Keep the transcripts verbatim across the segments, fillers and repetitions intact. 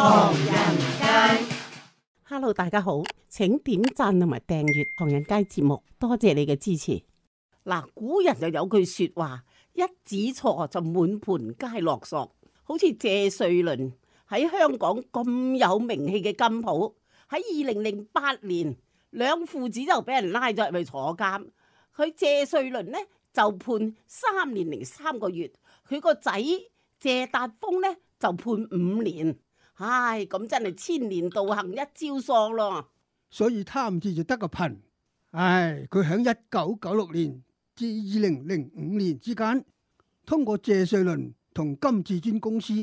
唐人街。Hello， 大家好，請點讚同埋訂閱唐人街節目，多謝你嘅支持。嗱，古人就有句說話，一指錯就滿盤皆落索。好似謝瑞麟喺香港咁有名氣嘅金鋪，喺二零零八年，兩父子就俾人拉咗入去坐監。佢謝瑞麟呢就判三年零三個月，佢個仔謝達峰呢就判五年。唉，咁真係千年道行一朝喪咯。所以貪字就得個貧。唉，佢喺一九九六年至二零零五年之間，通過謝瑞麟同金至尊公司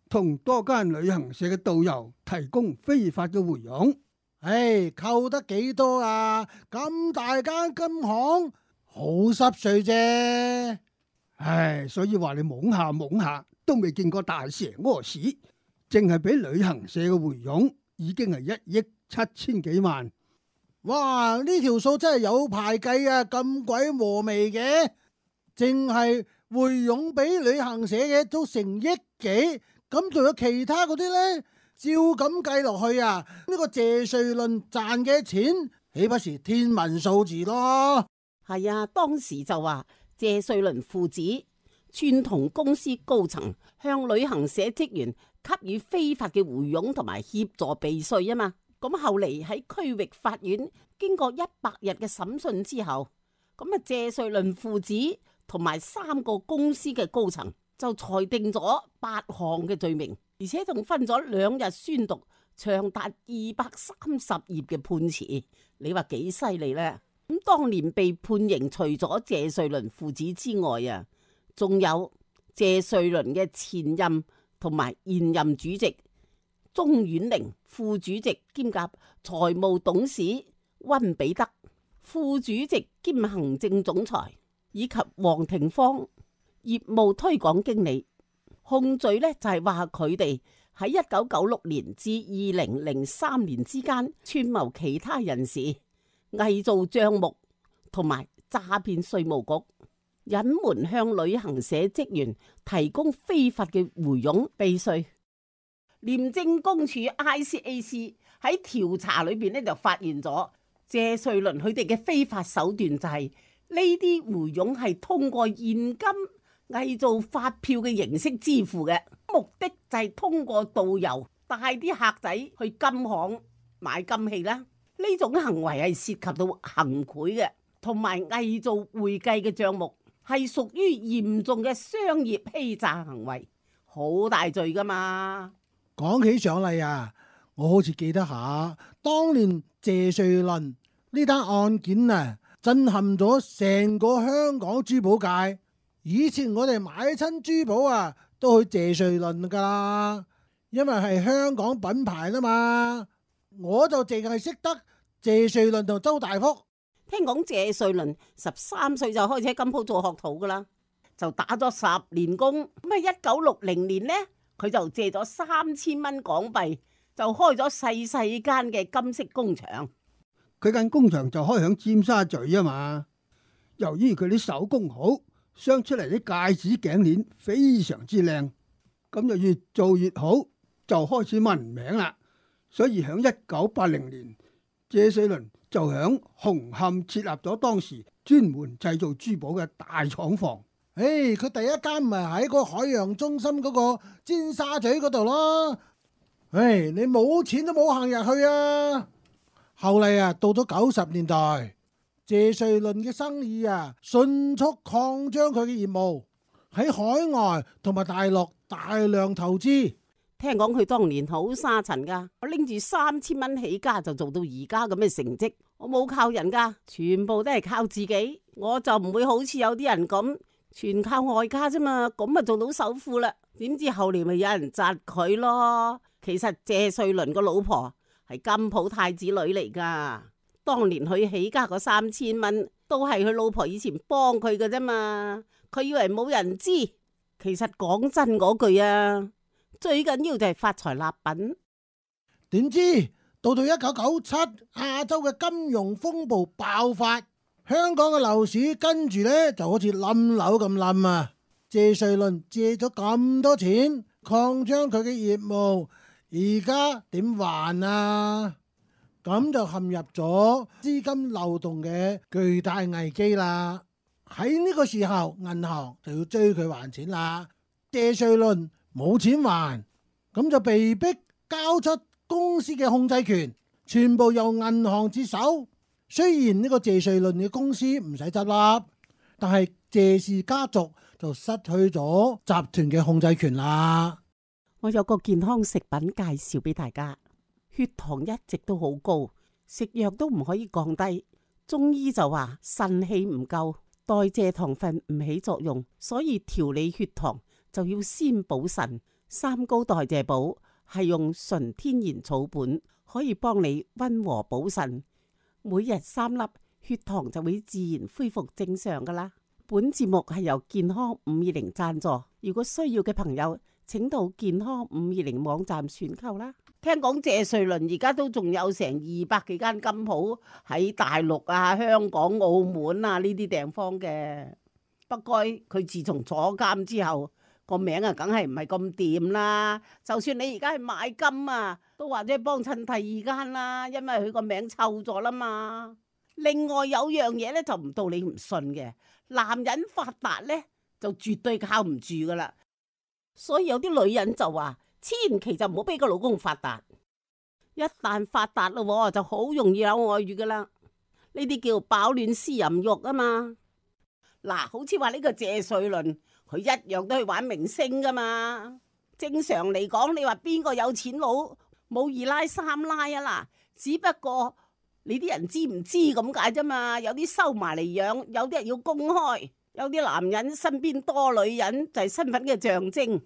同多間旅行社嘅導遊提供非法嘅回佣。唉，扣得幾多啊？咁大間金行好濕碎啫。唉，所以話你懵下懵下都未見過大蛇屙屎，淨係俾旅行社嘅回佣已經係一億七千幾萬。哇！呢條數真係有排計啊，咁鬼和味嘅，淨係回佣俾旅行社嘅都成億幾，咁仲有其他嗰啲呢？照咁計落去啊，呢個謝瑞麟賺嘅錢豈不是天文數字咯？係啊，當時就話謝瑞麟父子串同公司高層向旅行社職員給予非法嘅回佣同埋協助避稅啊嘛。咁後嚟喺區域法院經過一百日嘅審訊之後，咁啊謝瑞麟父子同埋三個公司嘅高層就裁定咗八項嘅罪名，而且仲分咗兩日宣讀長達二百三十頁嘅判詞。你話幾犀利呢？咁當年被判刑除咗謝瑞麟父子之外啊，仲有謝瑞麟嘅前任同埋現任主席鍾婉玲、副主席兼夾財務董事溫彼得、副主席兼行政總裁以及黃廷芳業務推廣經理。控罪呢就係話佢哋喺一九九六年至二零零三年之間串謀其他人士偽造賬目同埋詐騙稅務局，隱瞞向旅行社職員提供非法嘅回佣避稅。廉政公署 I C A C 喺調查裏邊咧就發現咗謝瑞麟佢哋嘅非法手段就係呢啲回佣係通過現金偽造發票嘅形式支付嘅，目的就係通過導遊帶啲客仔去金行買金器啦。呢種行為係涉及到行賄嘅，同埋偽造會計嘅賬目，係屬於嚴重嘅商業欺詐行為，好大罪噶嘛。講起上嚟啊，我好似記得下，當年謝瑞麟呢單案件啊，震撼咗成個香港珠寶界。以前我哋買親珠寶啊，都去謝瑞麟噶啦，因為係香港品牌啦嘛。我就淨係識得謝瑞麟同周大福。聽講謝瑞麟十三歲就開始喺金鋪做學徒噶啦，就打咗十年工。咁啊，一九六零年呢，佢就借咗三千蚊港幣，就開咗細細間嘅金飾工場。佢間工場就開響尖沙咀啊嘛。由於佢啲手工好，鑲出嚟啲戒指頸鏈非常之靚，咁就越做越好，就開始聞名啦。所以響一九八零年，謝瑞麟就響紅磡設立咗當時專門製造珠寶嘅大廠房。誒，佢第一間唔係喺個海洋中心嗰個尖沙咀嗰度咯。誒，你冇錢都冇行入去啊！後嚟啊，到咗九十年代，謝瑞麟嘅生意啊，迅速擴張佢嘅業務，喺海外同埋大陸大量投資。聽講佢當年好沙塵噶，我拎住三千蚊起家就做到而家咁嘅成績，我冇靠人噶，全部都係靠自己。我就唔會好似有啲人咁，全靠外家啫嘛，咁啊做到首富啦。點知後嚟咪有人窒佢咯。其實謝瑞麟個老婆係金鋪太子女嚟噶，當年佢起家嗰三千蚊都係佢老婆以前幫佢嘅啫嘛，佢以為冇人知。其實講真嗰句啊，最緊要就係發財立品。點知到到一九九七，亞洲嘅金融風暴爆發，香港嘅樓市跟住呢就好似冧樓咁冧啊！謝瑞麟借咗咁多錢擴張佢嘅業務，而家點還啊？咁就陷入咗資金漏洞嘅巨大危機啦。喺呢個時候，銀行就要追佢還錢啦。謝瑞麟冇錢還，咁就被逼交出公司嘅控制權，全部由銀行接手。雖然呢個謝瑞麟嘅公司唔使執笠，但係謝氏家族就失去咗集團嘅控制權啦。我有個健康食品介紹俾大家，血糖一直都好高，食藥都唔可以降低。中醫就話腎氣唔夠，代謝糖分唔起作用，所以調理血糖就要先補腎。三高代謝補係用純天然草本，可以幫你溫和補腎。每日三粒，血糖就會自然恢復正常噶啦。本節目係由健康五二零贊助，如果需要嘅朋友，請到健康五二零網站選購啦。聽講謝瑞麟而家都仲有成二百幾間金鋪喺大陸啊、香港、澳門啊呢啲地方嘅。不過佢自從坐監之後，個名啊梗係唔係咁掂啦。就算你而家去買金啊，都或者幫襯第二間啦，因為佢個名臭咗啦嘛。另外有樣嘢咧就唔到你唔信嘅，男人發達咧就絕對靠唔住噶啦。所以有啲女人就話，千祈就唔好俾個老公發達。一旦發達咯，就好容易有外遇噶啦。呢啲叫飽暖思淫欲啊嘛。嗱，好似話呢個謝瑞麟，佢一樣都去玩明星噶嘛。正常嚟講，你話邊個有錢佬冇二奶三奶啊？嗱，只不過你啲人知唔知咁解啫嘛。有啲收埋嚟養，有啲人要公開。有啲男人身邊多女人就係身份嘅象徵。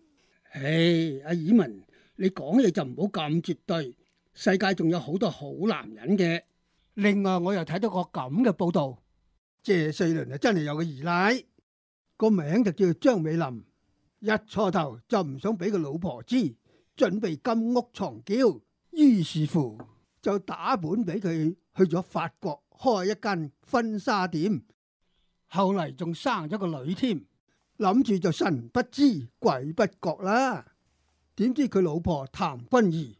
唉，阿爾文，你講嘢就唔好咁絕對。世界仲有好多好男人嘅。另外，我又睇到個咁嘅報道，謝瑞麟啊真係有個二奶，個名就叫張美琳。一初頭就唔想俾個老婆知，準備金屋藏嬌，於是乎就打本俾佢去咗法國開一間婚紗店。後嚟仲生咗個女添，諗住就神不知鬼不覺啦。點知佢老婆譚君儀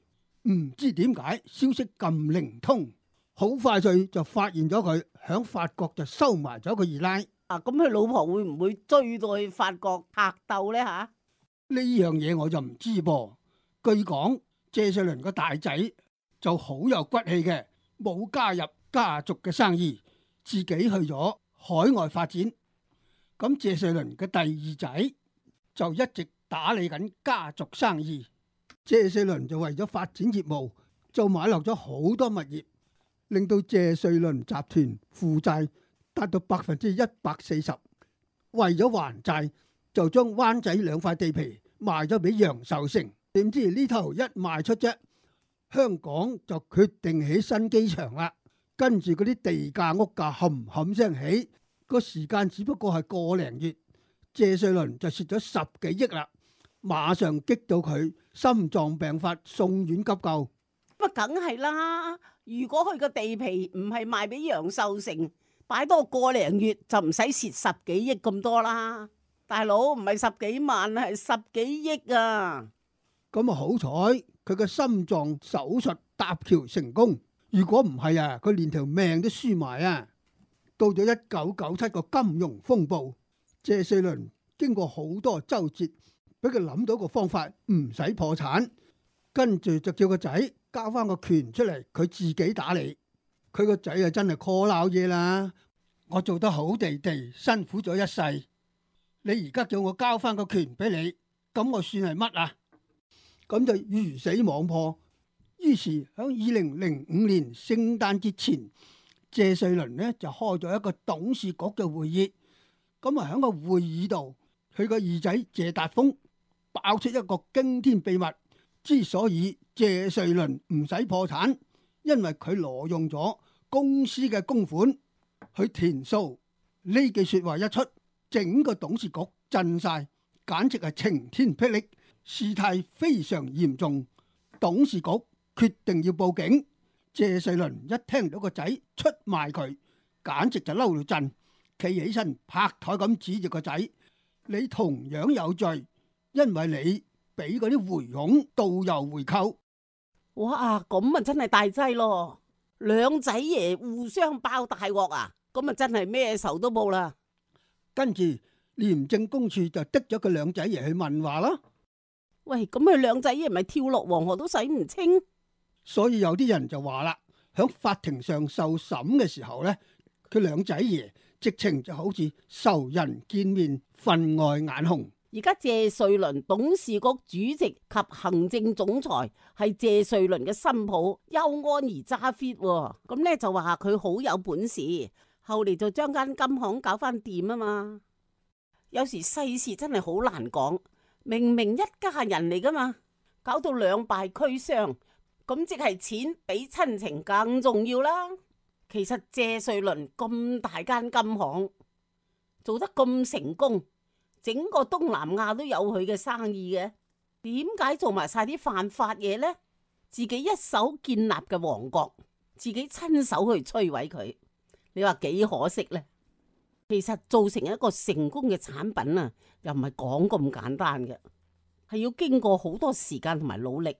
唔知點解消息咁靈通，好快脆就發現咗佢響法國就收埋咗個二奶。啊，咁佢老婆會唔會追到去法國拍鬥呢？吓，呢樣嘢我就唔知噃。據講謝瑞麟個大仔就好有骨氣嘅，冇加入家族嘅生意，自己去咗海外發展。咁謝瑞麟嘅第二仔就一直打理緊家族生意。謝瑞麟就為咗發展業務，就買落咗好多物業，令到謝瑞麟集團負債達到百分之一百四十。為咗還債，就將灣仔兩塊地皮賣咗俾楊受成。點知呢頭一賣出啫，香港就決定起新機場啦。跟住嗰啲地價屋價冚冚聲起，個時間只不過係個零月，謝瑞麟就蝕咗十幾億啦。馬上激到佢心臟病發，送院急救。乜梗係啦！如果佢個地皮唔係賣俾楊受成，擺多個零月就唔使蝕十幾億咁多啦。大佬，唔係十幾萬，係十幾億啊！咁啊好彩，佢個心臟手術搭橋成功。如果唔係啊，佢連條命都輸埋啊！到咗一九九七個金融風暴，謝瑞麟經過好多周折，俾佢諗到個方法，唔使破產。跟住就叫個仔交翻個權出嚟，佢自己打理。佢個仔啊真係 call 鬧嘢啦！我做得好地地，辛苦咗一世，你而家叫我交翻個權俾你，咁我算係乜啊？咁就魚死網破。於是喺二零零五年聖誕節前，謝瑞麟呢就開咗一個董事局嘅會議。咁啊喺個會議度，佢個二仔謝達峰爆出一個驚天秘密。之所以謝瑞麟唔使破產，因為佢挪用咗公司嘅公款去填數。呢句說話一出，整個董事局震晒，簡直係晴天霹靂，事態非常嚴重。董事局決定要報警。謝瑞麟一聽到個仔出賣佢，簡直就嬲到震，企起身拍台咁指住個仔：你同樣有罪，因為你俾嗰啲回佣導遊回扣，哇，咁啊真係大劑咯！兩仔爺互相爆大鑊啊！咁啊真係咩仇都冇啦。跟住廉政公署就滴咗佢兩仔爺去問話啦。喂，咁佢兩仔爺咪跳落黃河都洗唔清？所以有啲人就話啦，響法庭上受審嘅時候呢，佢兩仔爺直情就好似仇人見面，分外眼紅。而家謝瑞麟董事局主席及行政總裁係謝瑞麟嘅新抱邱安儀揸 fit，咁咧就話佢好有本事，後嚟就將間金行搞翻掂啊嘛。有時世事真係好難講，明明一家人嚟噶嘛，搞到兩敗俱傷，咁即係錢比親情更重要啦。其實謝瑞麟咁大間金行做得咁成功，整個東南亞都有佢嘅生意嘅，點解做埋晒啲犯法嘢呢？自己一手建立嘅王國，自己親手去摧毀佢，你話幾可惜呢？其實做成一個成功嘅產品啊，又唔係講咁簡單嘅，係要經過好多時間同埋努力。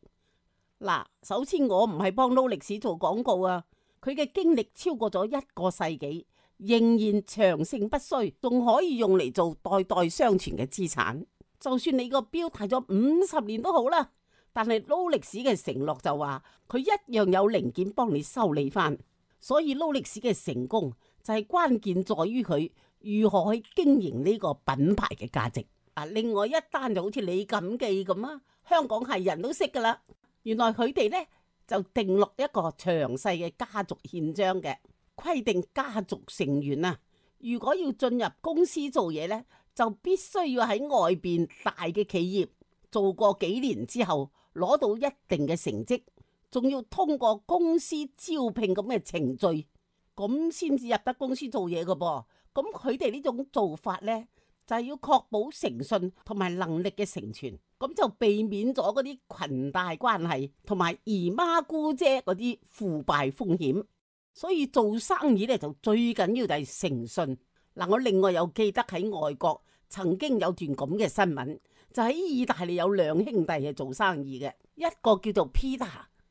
嗱，首先我唔係幫勞力士做廣告啊，佢嘅經歷超過咗一個世紀，仍然長盛不衰，仲可以用嚟做代代相傳嘅資產。就算你個錶戴咗五十年都好啦，但係勞力士嘅承諾就話佢一樣有零件幫你修理翻。所以勞力士嘅成功就係關鍵在於佢如何去經營呢個品牌嘅價值。啊，另外一單就好似李錦記咁啊，香港係人都識噶啦。原來佢哋呢就定落一個詳細嘅家族憲章嘅。規定家族成員啊，如果要進入公司做嘢呢，就必須要喺外邊大嘅企業做過幾年之後，攞到一定嘅成績，仲要通過公司招聘咁嘅程序，咁先至入得公司做嘢噶噃。咁佢哋呢種做法呢，就係要確保誠信同埋能力嘅成全，咁就避免咗嗰啲裙帶關係同埋姨媽姑姐嗰啲腐敗風險。所以做生意咧就最緊要就係誠信。嗱，我另外又記得喺外國曾經有段咁嘅新聞，就喺意大利有兩兄弟係做生意嘅，一個叫做 Peter，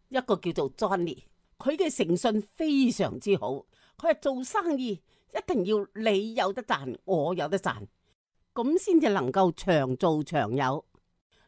一個叫做 Johnny。佢嘅誠信非常之好，佢係做生意一定要你有得賺，我有得賺，咁先至能夠長做長有。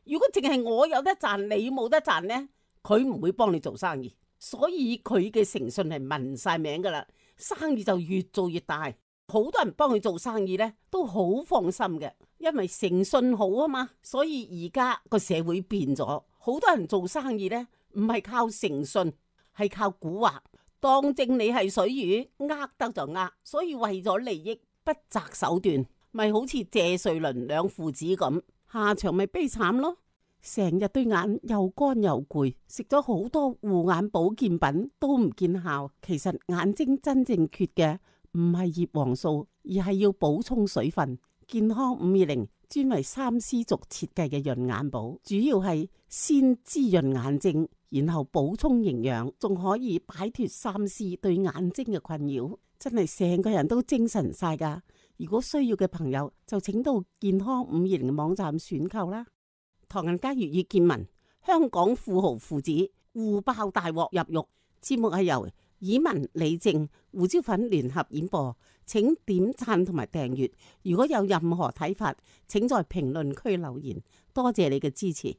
如果淨係我有得賺，你冇得賺呢，佢唔會幫你做生意。所以佢嘅誠信係聞晒名噶啦，生意就越做越大。好多人幫佢做生意呢，都好放心嘅，因為誠信好啊嘛。所以而家個社會變咗，好多人做生意呢，唔係靠誠信，係靠蠱惑，當正你係水魚，呃得就呃。所以為咗利益不擇手段，咪好似謝瑞麟兩父子咁，下場咪悲慘咯。成日對眼又乾又攰，食咗好多護眼保健品都唔見效。其實眼睛真正缺嘅唔係葉黃素，而係要補充水分。健康五二零專為三絲族設計嘅潤眼寶，主要係先滋潤眼睛，然後補充營養，仲可以擺脫三絲對眼睛嘅困擾。真係成個人都精神晒噶。如果需要嘅朋友就請到健康五二零嘅網站選購啦。唐人街粵語見聞，香港富豪父子互爆大鑊入獄。節目係由以文、李正、胡椒粉聯合演播，請點讚同埋訂閱。如果有任何睇法，請在評論區留言。多謝你嘅支持。